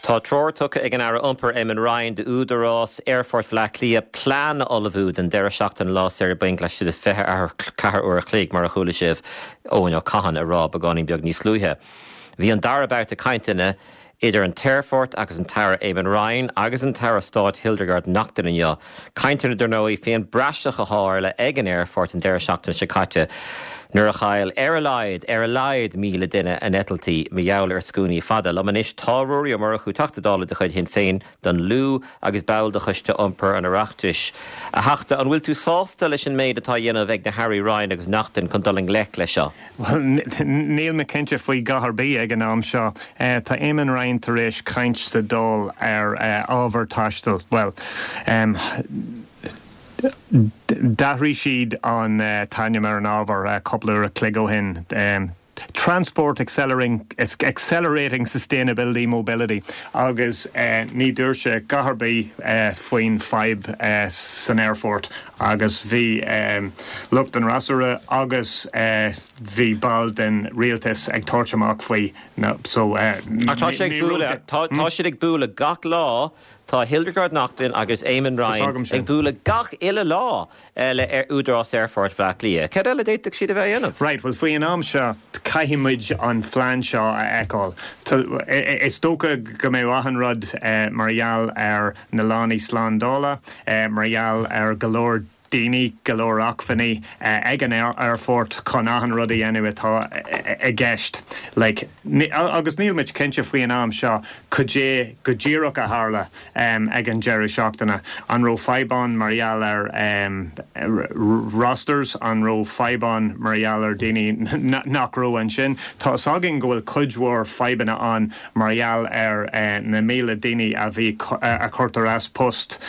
Tá treoir tugtha ag an Aire Iompair Eamon Ryan d'Údarás Aerfort Bhaile Átha Cliath plean a ullmhú don deireadh seachtaine Lá Saoire Bainc laistigh de 24 uair a chloig, mar a chuala sibh Eoin Ó Catháin ag rá beagáinín beag níos luaithe. Bhí an dara babhta cainteanna idir an t-aerfort agus an tAire Eamon Ryan agus an tAire Stáit Hildegarde Naughton inniu. Cainteanna, dar ndóigh, faoin bpraiseach a tharla ag an aerfort an deireadh seachtaine seo caite nuair a chaill ar a laghad, ar a laghad, 1,000 duine a n-eitiltí mar gheall ar scuainí fada. Liom anois tá Ruairí Ó Murchú, Teachta Dála de chuid Shinn Féin don Lú agus ball de Choiste Iompair an Oireachtais. A Theachta, an bhfuil tú sásta leis an méid atá á dhéanamh ag na hAirí Ryan agus Naughton chun dul i ngleic leis seo? Bhuel, níl mé cinnte faoi dhath ar bith ag an am seo. Tá Eamon Ryan tar éis caint sa Dáil ar ábhar taistil. Bhuel, d'athraigh siad an t-ainm ar an ábhar cúpla uair a chloig ó shin. Transport Accelerating Sustainability Mobility agus ní dúirt sé dhath ar bith faoin fadhb san aerfort agus bhí lucht an fhreasúra agus bhí ball den rialtas ag tabhairt amach faoi so Ach tá sé ag bualadh, tá siad ag bualadh gach lá, tá Hildegarde Naughton agus Eamon Ryan ag bualadh gach uile lá le Údarás Aerfort Bhaile Átha Cliath. Cad eile a d'fhéadfadh siad a bheith a dhéanamh? Right, bhuel faoi an am seo caithfidh muid an phlean seo a fheiceáil. Is dócha go mbeadh achan rud mar gheall ar na lánaí slándála, mar gheall ar go leor daoine, go leor acmhainní ag an aerfort chun achan rud a dhéanamh atá i gceist. Like, agus níl muid cinnte faoi an am seo cad é go díreach a tharla ag an deireadh seachtaine. An raibh fadhb ann mar gheall ar rosters? An raibh fadhb ann mar gheall ar daoine nach raibh ansin? Tá 'fhios againn go bhfuil cuid mhór fadhbanna ann mar gheall ar na 1,000 daoine a bhí a cuirtear as post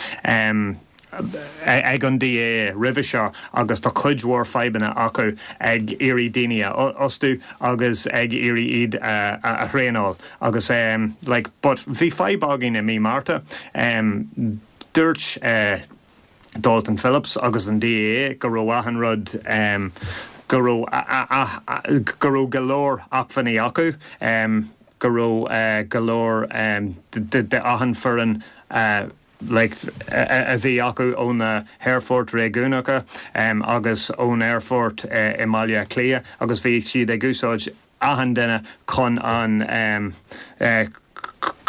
ag an DAA roimhe seo agus tá cuid mhór fadhbanna acu ag iarraidh daoine a fhostú agus ag iarraidh iad a thraenáil agus like but bhí fadhb againn i mí Márta dúirt Dalton Phillips agus an DAA go raibh achan rud go raibh go raibh go leor acmhainní acu go raibh go leor de achan foireann like a bhí acu ó na haerfoirt réigiúnacha agus ón aerfort i mBaile Átha Cliath agus bhí siad ag úsáid achan duine chun an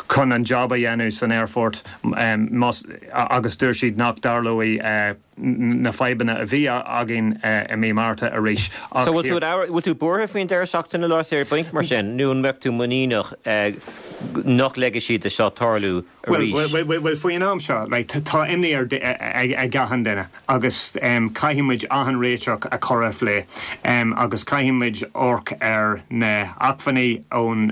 chun an job a dhéanamh san aerfort más agus dúirt siad nach dtarlóidh na fadhbanna a bhí againn i mí Márta arís ach So bhfuil tú bhfuil tú buartha faoin deireadh seachtaine Lá Saoire Bainc mar sin nó an mbeadh tú muiníneach nach leigfidh siad do seo tarlú arís? Bhuel, bhuel, faoin am seo, like, tá imní ar ag achan duine agus caithfidh muid achan réiteach a chur ar phlé agus caithfidh muid amharc ar na hacmhainní ón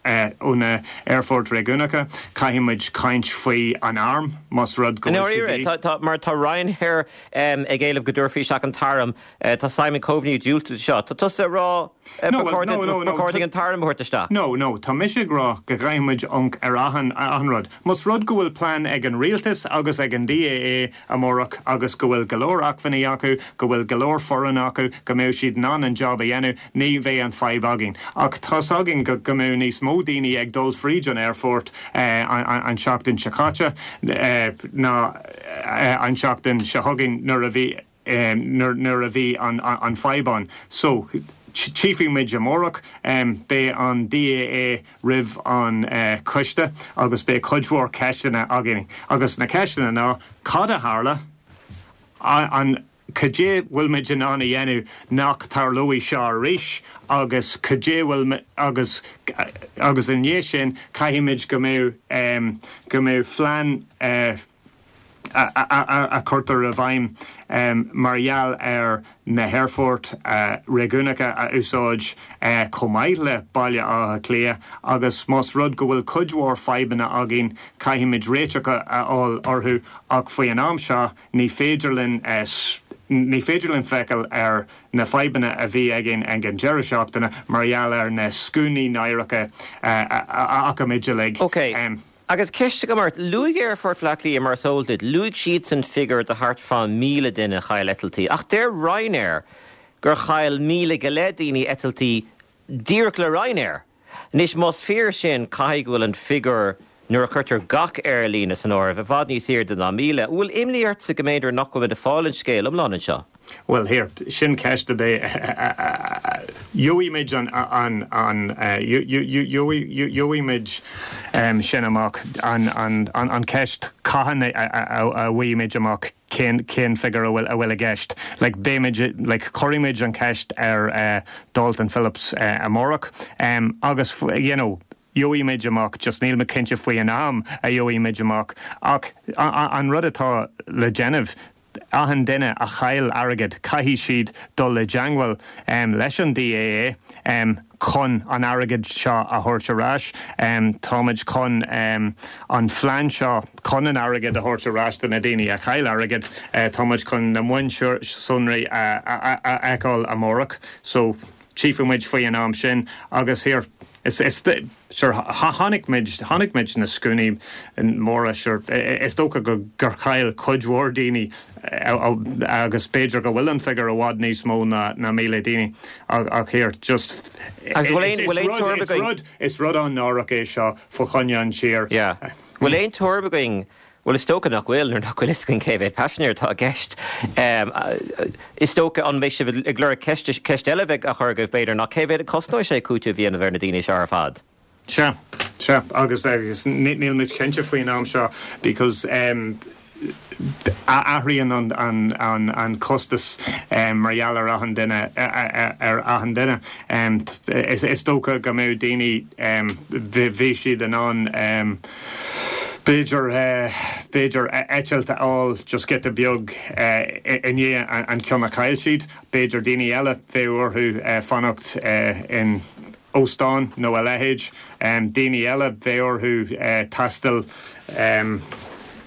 ó na aerfoirt réigiúnacha, caithfidh muid caint faoi an arm más rud go bhfuil sé de dhíth. Tá, mar tá Ryanair ag éileamh go dtabharfaí isteach an t-arm, tá Simon Coveney ag diúltú do seo. Tá tusa ag rá ba chóir dúinn an t-arm a thabhairt isteach. No, no, tá mise ag rá go gcaithfidh muid amharc ar achan, achan rud. Más rud go bhfuil plean ag an rialtas agus ag an DAA amárach agus go bhfuil go leor acmhainní acu, go bhfuil go leor foireann acu, go mbeidh siad in ann an job a dhéanamh, ní bheidh an fadhb againn. Ach tá's againn go go mbeidh níos mó daoine ag dul fríd an aerfort an tseachtain seo caite ná an tseachtain seo chugainn nuair a bhí nuair a bhí an fadhb ann. So, tchífidh muid amárach. Beidh an DAA roimh an choiste agus beidh cuid mhór ceisteanna againn. Agus na ceisteanna ná, cad a tharla? An, cad é bhfuil muid in ann a dhéanamh nach tarlóidh seo arís? Agus cad é bhfuil, agus, agus i ndiaidh sin, caithfidh muid go mbeidh, go mbeidh phlean, a chuirtear i bhfeidhm mar gheall ar na haerfoirt réigiúnacha a úsáid chomh maith le Baile Átha Cliath agus más rud go bhfuil cuid mhór fadhbanna againn caithfimid réiteach a fháil orthu ach faoi an am seo ní féidir linn ní féidir linn feiceáil ar na fadhbanna a bhí againn ag an deireadh seachtaine mar gheall ar na scuainí náireacha a fhaca muid uilig. Ok. Agus ceist agam ort, luaigh Aerfort Bhaile Átha Cliath mar is eol duit, luaigh siadsan figiúr de thart fá 1,000 duine a chaill eitiltí, ach deir Ryanair gur chaill 1,000 go leith daoine eitiltí díreach le Ryanair. Anois, más fíor sin, caithfidh go bhfuil an figiúr. nuair a chuirtear gach aerlíne san áireamh, i bhfad níos airde ná 1,000. An bhfuil imní ortsa go mb'fhéidir nach bhfuil muid ag fáil an scéal iomlán anseo? Bhuel, here, sin ceist a bheidh, gheobhaidh muid an, an, an, gheobhaidh muid sin amach, an, an, an ceist cathain a bhfaighidh muid amach cén, cén figiúr a bhfuil, a bhfuil i gceist. Like, beidh muid, like, cuirfidh muid an cheist ar Dalton Phillips amárach agus, you know, gheobhaidh muid amach, just níl mé cinnte faoi an am a gheobhaidh muid amach ach an rud atá le déanamh, achan duine a chaill airgead, caithfidh siad dul i dteangmháil leis an DAA chun an airgead seo a thabhairt ar ais. Táimid chun an phlean seo chun an airgead a thabhairt ar ais do na daoine a chaill airgead, táimid chun na mionsonraí a fheiceáil amárach. So, tchífidh muid faoi an am sin agus here, is, is, sure, chonaic muid, chonaic muid na scuainí móra, sure, is dócha go, gur chaill cuid mhór daoine agus b'fhéidir go bhfuil an figiúr i bhfad níos mó ná, ná 1,000 daoine ach, ach here, just, Agus bhfuil aon, bhfuil aon tuairim againn? Is rud, is rud an-náireach é seo fá choinne an tír. Yeah. Bhfuil aon tuairim againn Bhuel, is dócha nach bhfuil, nuair nach bhfuil fhios againn cé mhéad paisinéir atá i gceist. Is dócha, an mbeidh sibh ag lorg ceist, ceist eile a bheidh á chur agaibh, b'fhéidir, ná cé mhéad a chosnóidh sé cúiteamh a dhéanamh ar na daoine seo ar fad? Sea, sea, agus, agus níl muid cinnte faoin am seo because athraíonn an, an, an, an costas mar gheall ar achan duine, ar achan duine. Is, is dócha go mbeadh daoine, bhí siad in ann, B'fhéidir, b'fhéidir eitilt a fháil just giota beag i ndiaidh an ceann a chaill siad. B'fhéidir daoine eile, bheadh orthu fanacht in óstán nó a leithéid. Daoine eile, bheadh orthu taisteal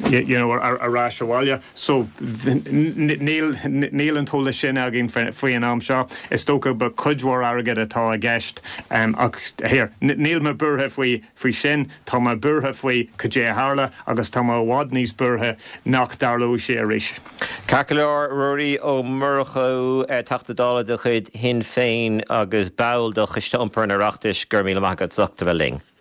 you know ar ais abhaile. So níl, níl an t-eolas sin againn faoi an am seo. Is dócha ba cuid mhór airgid atá i gceist ach here, níl mé buartha faoi Faoi sin, tá mé buartha faoi cad é a tharla agus tá mé i bhfad níos buartha nach dtarlóidh sé arís. Ceart go leor, Ruairí Ó Murchú, Teachta Dála de chuid Shinn Féin agus ball de Choiste Iompair an Oireachtais, go raibh míle maith agat as ucht a bheith linn.